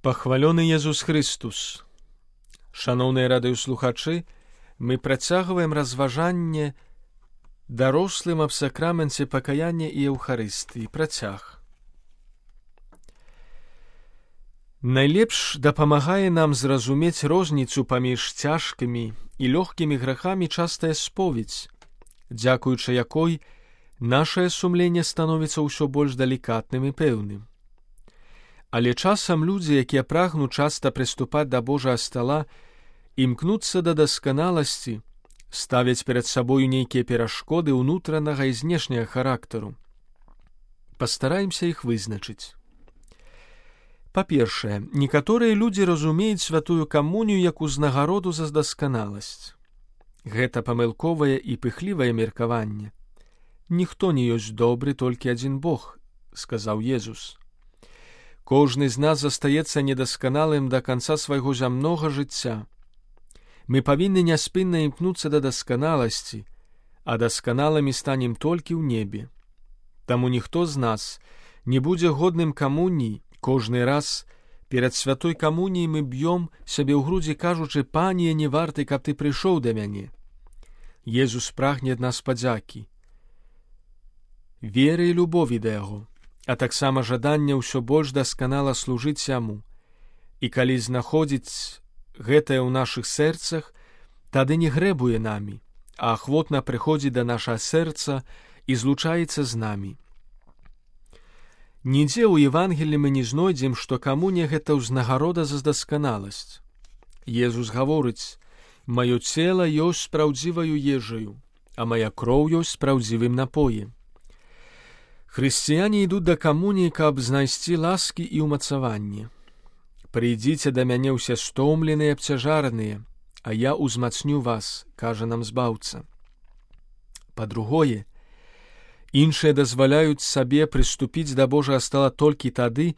Пахвалёны Езус Христус! Шаноўныя радыёслухачы, мы працягваем разважанне дарослым аб сакраменце пакаяння і Еўхарыстыі. Працяг. Найлепш дапамагае нам зразумець розніцу паміж цяжкімі і лёгкімі грахамі частая споведзь, дзякуючы якой нашае сумленне становіцца ўсё больш далікатным і пэўным. Але часам людзі, якія прагнуць часта прыступаць да Божага стала, імкнуцца да дасканаласці, ставяць перад сабою нейкія перашкоды ўнутранага і знешняга характару. Пастараемся іх вызначыць. Па-першае, некаторыя людзі разумеюць святую камунію як узнагароду за дасканаласць. Гэта памылковае і пыхлівае меркаванне. Ніхто не ёсць добры, толькі адзін Бог, сказаў Езус. Кожны з нас застаецца недасканалым да канца свайго зямнога жыцця. Мы павінны няспынна імкнуцца да дасканаласці, а дасканалымі станем толькі ў небе. Таму ніхто з нас не будзе годным камуніі. Кожны раз перад святой камуніяй мы б'ём сябе ў грудзі, кажучы: «Пане, не варты, каб ты прыйшоў да мяне». Езус прагне ад нас падзякі, веры і любові да яго, а таксама жадання ўсё больш дасканала служыць яму. І калі знаходзіць гэтае ў нашых сэрцах, тады не грэбуе намі, а ахвотна прыходзіць да нашага сэрца і злучаецца з намі. Нідзе ў Евангеліі мы не знойдзем, што камунія гэта ўзнагарода за дасканаласць. Езус гаворыць: «Маё цела ёсць спраўдзіваю ежаю, а мая кроў ёсць спраўдзівым напоем». Хрысціяне ідуць да камуніі, каб знайсці ласкі і ўмацаванне. «Прыйдзіце да мяне ўсе стомленыя, абцяжараныя, а я ўзмацню вас», кажа нам Збаўца. Па-другое, іншыя дазваляюць сабе прыступіць да Божага стала толькі тады,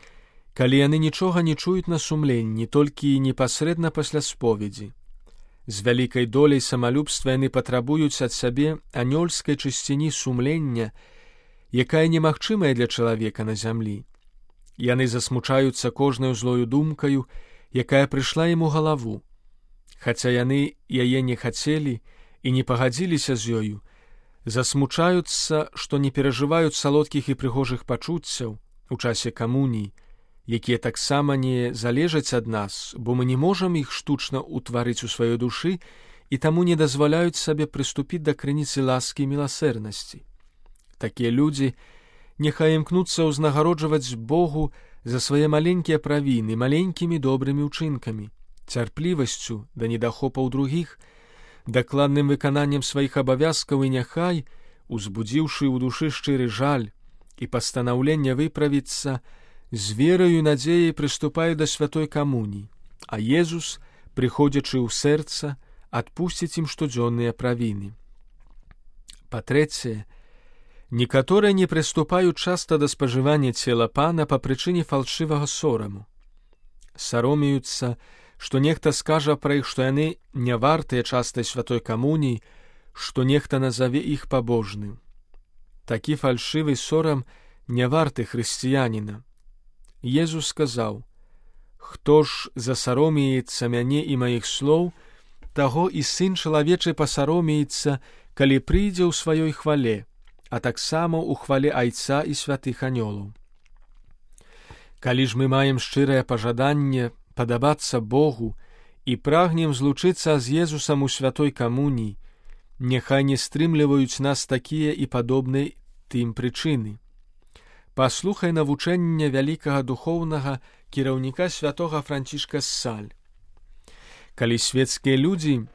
калі яны нічога не чуюць на сумленні, толькі непасрэдна пасля споведзі. З вялікай доляй самалюбства яны патрабуюць ад сябе анёльскай чысціні сумлення, якая немагчымая для чалавека на зямлі. Яны засмучаюцца кожнаю злою думкаю, якая прыйшла ім у галаву. Хаця яны яе не хацелі і не пагадзіліся з ёю, засмучаюцца, што не перажываюць салодкіх і прыгожых пачуццяў у часе камуніі, якія таксама не залежаць ад нас, бо мы не можам іх штучна ўтварыць у сваёй душы і таму не дазваляюць сабе прыступіць да крыніцы ласкі і міласэрнасці. Такія людзі няхай імкнуцца ўзнагароджваць Богу за свае маленькія правіны маленькімі добрымі ўчынкамі, цярплівасцю да недахопаў другіх, дакладным выкананнем сваіх абавязкаў, і няхай, узбудзіўшы ў душы шчыры жаль і пастанаўленне выправіцца, з вераю і надзеяй прыступаю да святой камуніі, а Езус, прыходзячы ў сэрца, адпусціць ім штодзённыя правіны. Па-трэцяе, некаторыя не прыступаюць часта да спажывання цела Пана па прычыне фальшывага сораму. Саромеюцца, што нехта скажа пра іх, што яны не вартыя частай святой камуніі, што нехта назаве іх пабожным. Такі фальшывы сорам не варты хрысціяніна. Езус сказаў: «Хто ж засаромеецца мяне і маіх слоў, таго і сын чалавечы пасаромеецца, калі прыйдзе ў сваёй хвале, а таксама ў хвале Айца і святых анёлаў». Калі ж мы маем шчырае пажаданне падабацца Богу і прагнем злучыцца з Езусам у святой камуніі, няхай не стрымліваюць нас такія і падобныя тым прычыны. Паслухай навучэнне вялікага духоўнага кіраўніка святога Францішка з Саль. Калі светскія людзі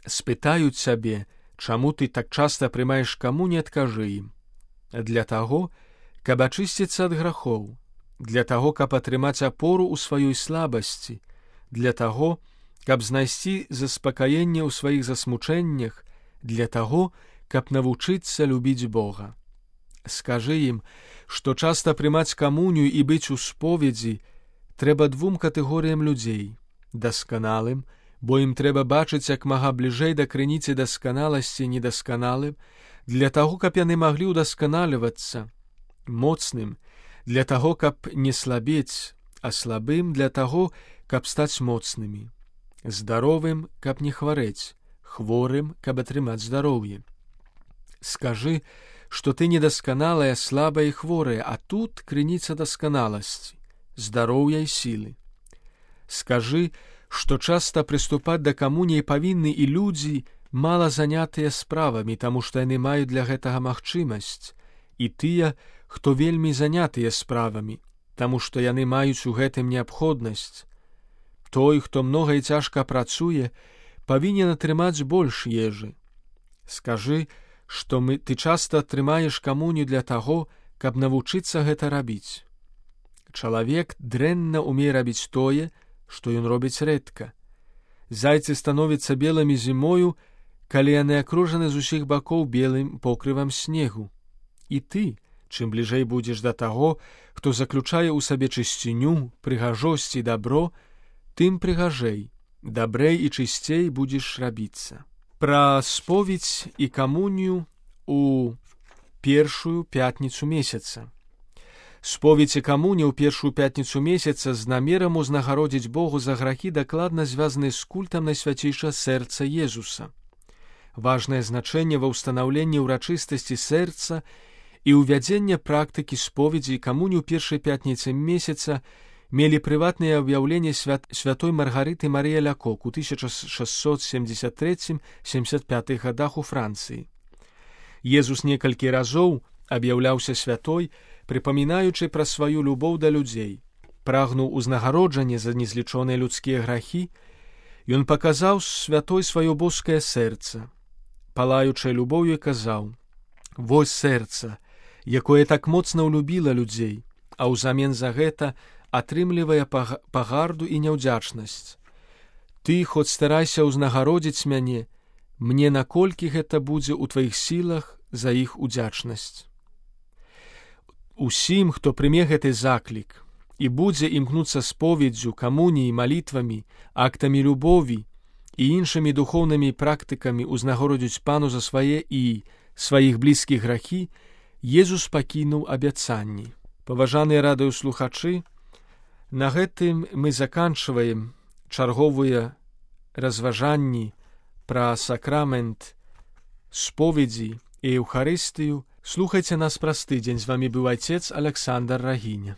спытаюць сябе, чаму ты так часта прымаеш камунію, адкажы ім: «Для таго, каб ачысціцца ад грахоў, для таго, каб атрымаць апору ў сваёй слабасці, для таго, каб знайсці заспакаенне ў сваіх засмучэннях, для таго, каб навучыцца любіць Бога». Скажы ім, што часта прымаць камунію і быць у споведзі трэба двум катэгорыям людзей: дасканалым, бо ім трэба бачыць як мага бліжэй да крыніцы дасканаласці, недасканалым, для таго, каб яны маглі ўдасканалівацца, моцным, для таго, каб не слабець, а слабым для таго, каб стаць моцнымі, здаровым, каб не хварэць, хворым, каб атрымаць здароўе. Скажы, што ты недасканалая, слабая і хворая, а тут крыніца дасканаласці, здароўя і сілы. Скажы, што часта прыступаць да камуніі павінны і людзі, мала занятыя справамі, таму што яны маюць для гэтага магчымасць, і тыя, хто вельмі занятыя справамі, таму што яны маюць у гэтым неабходнасць. Той, хто многа і цяжка працуе, павінен атрымаць больш ежы. Скажы, што ты часта атрымаеш камунію для таго, каб навучыцца гэта рабіць. Чалавек дрэнна умее рабіць тое, што ён робіць рэдка. Зайцы становяцца белымі зімою, калі яны акружаны з усіх бакоў белым покрывам снегу. І ты, чым бліжэй будзеш да таго, хто заключае ў сабе чысціню, прыгажосць і дабро, тым прыгажэй, дабрэй і чысцей будзеш рабіцца. Пра споведзь і камунію у першую пятніцу месяца. Споведзь і камунія ў першую пятніцу месяца з намерам узнагародзіць Богу за грахі дакладна звязаны з культам найсвяцейшага сэрца Езуса. Важнае значэнне ва ўстанаўленні ўрачыстасці сэрца і ўвядзення практыкі споведзі і камунію ў першай пятніцы месяца мелі прыватнае аб'яўленне святой Маргарыты Марыі Лякок у 1673-75 гадах у Францыі. Езус некалькі разоў аб'яўляўся святой, прыпамінаючы пра сваю любоў да людзей. Прагнуў узнагароджання за незлічоныя людскія грахі, ён паказаў святой сваё боскае сэрца. Палаючай любоўю казаў: «Вось сэрца, якое так моцна ўлюбіла людзей, а ўзамен за гэта атрымлівае пагарду і няўдзячнасць. Ты хоць старайся ўзнагародзіць мяне, мне наколькі гэта будзе ў тваіх сілах за іх удзячнасць». Усім, хто прыме гэты заклік і будзе імкнуцца споведзю, камуніяй, малітвамі, актамі любові і іншымі духоўнымі практыкамі узнагародзіць Пану за свае і сваіх блізкіх грахі, Езус пакінуў абяцанні. Паважаныя радыёслухачы, на гэтым мы заканчваем чарговыя разважанні пра сакрамент споведзі і Еўхарыстыю. Слухайце нас праз тыдзень. З вамі быў отец Александр Рагіня.